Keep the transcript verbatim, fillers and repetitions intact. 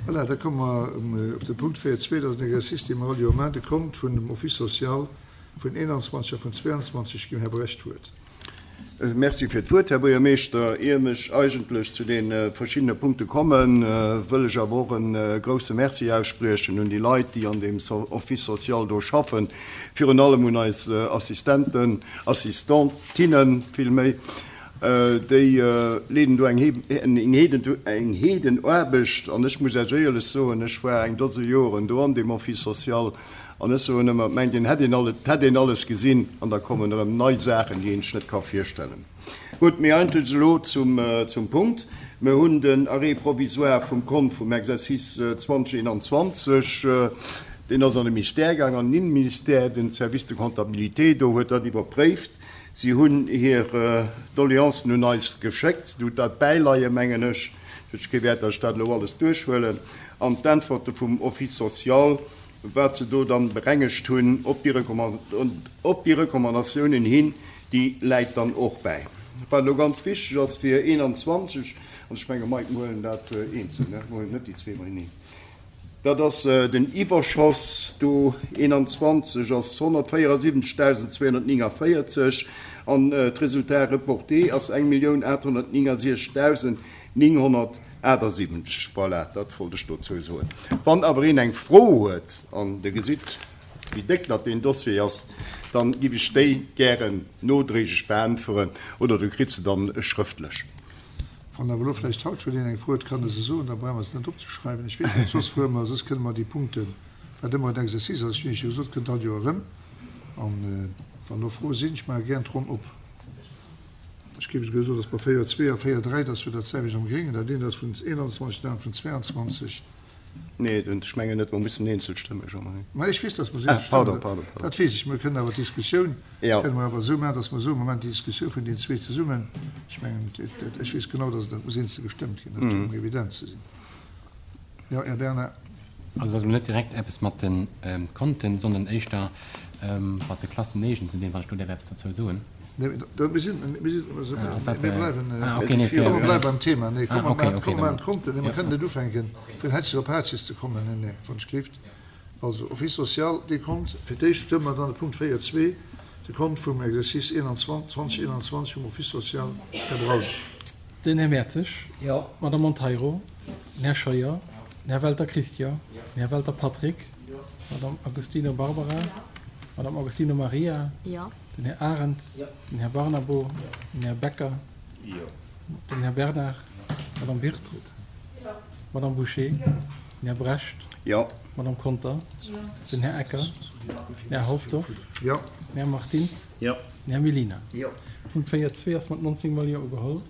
Voilà, da komme mer op de Punkt véier zwee, dat ass en Exercice, dee mer all Joer maachen, de Kont vun dem Office social vun eenanzwanzeg a vun zweianzwanzeg. Ginn Här Brecht d'Wuert. Merci fir d'Wuert, Här Buergermeeschter. Ier ech eigentlech zu de verschiddene Punkte kommen, wëll ech awer och e grouse Merci ausspriechen un déi Leit, déi an deem Office social do schaffen, virun allem un eis Assistenten, Assistentinnen villméi, déi leeden do eng eng Heedenaarbecht. An ech muss Iech éierlech soen, ech war eng Dose Joren do an deem Office social an ech soen ëmmer, et mengt een, hätt een alles, hätt een alles gesinn an da kommen erëm nei Saachen, déi een sech net ka virstellen. Gutt, mee eigentlech elo zum, zum Punkt. Mir hunn den Arrêt provisoire vum Kont vum Exercice zwanzeg eenanzwanzeg, deen ass an de Ministère gaang, an den Innenministère, den Service de comptabilité do huet dat iwwerpréift. Si hunn hir Doleancen un eis geschéckt. Du hutt dat bäileien, mengen ech. Huet kee Wäert, datt ech dat elo alles duerchhuelen. An d'Äntwerte vum Office social, wat se do dann berengegt hunn, op déi op déi Recommandatiounen hin, déi läit dann och bäi. Wat elo ganz wichteg ass fir eenanzwanzeg, an ech menge Mike, mir huelen dat eenzel, ne? Mir huelen net déi zwee beieneen. Dat ass den Iwwerschoss do eenanzwanzeg ass honnertvéierasiwwenzegdausendzweehonnertnéngavéierzeg an d'Resultat reporté ass eng Millioun aathonnertnéngasechzegdausendnénghonnertaachtsiwwenzeg. Voilà, dat wollt ech dozou soen. Wann awer een eng Fro huet, an Der gesitt, wéi déck dat deen Dossier ass, dann giff ech déi gären nodréiglech beäntweren oder du kritt se dann schrëftlech. Wann awer elo vläicht haut schonn een eng Fro huet, kann e se soen, da brauche mer se net opzeschreiwen. Ech weess net, soss fuere mer, soss kënne mer déi Punkten, wat ëmmer en Exercice ass, ech hunn Iech jo gesot, kënnt all Joer erëm. An wann elo Froe sinn, ech maache gären d'Ronn op. Ech géif esouguer soen, datt mer véier zwee a véier dräi, dat ass jo dat selwecht am Gréngen, dat eent ass vun eenanzwanzeg, dat anert vun zweianzwanzeg. Nee, ech mengen net, mer mussen eenzel stëmmen, Jean-Marie. Ma ech weess, datt mer se eenzel stëmmen. Pardon, pardon, pardon. Dat weess ech. Mer kënnen awer d'Diskussioun kënne mer awer esou maachen, datt mer soen, Moment, déi Diskussioun vun deenen zwee zesummen, ech mengen, ech weess genau, datt dat muss eenzel gestëmmt ginn, dat schéngt mer evident ze sinn. Jo, Här Bernard. Also et ass elo net direkt eppes mat de Konten, sondern éischter mat de Klassenéigen ze dinn, wann ech do däerf eppes dozou soen. Nee, mir sinn, mir sinn, mir bleiwen, komm, mir bleiwen beim Thema. Nee, komm, mir komm, mir maachen d'Konten. Nee, mir kënnen net ufänken, vun Hätzchen op Hatzches ze kommen. Nee, nee, wann ech gelift. Also, Office social, dee Kont, fir d'éischt stëmme mer dann de Punkt véier zwee, de Kont vum Exercice zwanzeg eenanzwanzeg vum Office social. Här Braun. Den Här Mertzig. Jo. D'Madame Monteiro. Den Här Scheuer. Den Här Welter Christian. Den Här Welter Patrick. Jo. D'Madame Agostino Barbara. Jo. D'Madame Agostino Maria. Jo. Den Här Arendt. Jo. Den Här Barnabo. Jo. Den Här Becker. Jo. Den Här Bernard. Jo. D'Madame Wirtz. Jo. D'Madame Bouché. Jo. Den Här Brecht. Jo. D'Madame Conter. Jo. Den Här Ecker. Jo. Den Här Halsdorf. Jo. Den Här Martins. Jo. Den Här Mellina. Jo. Punkt véier zwee ass mat nonzéng Mol Jo ugeholl.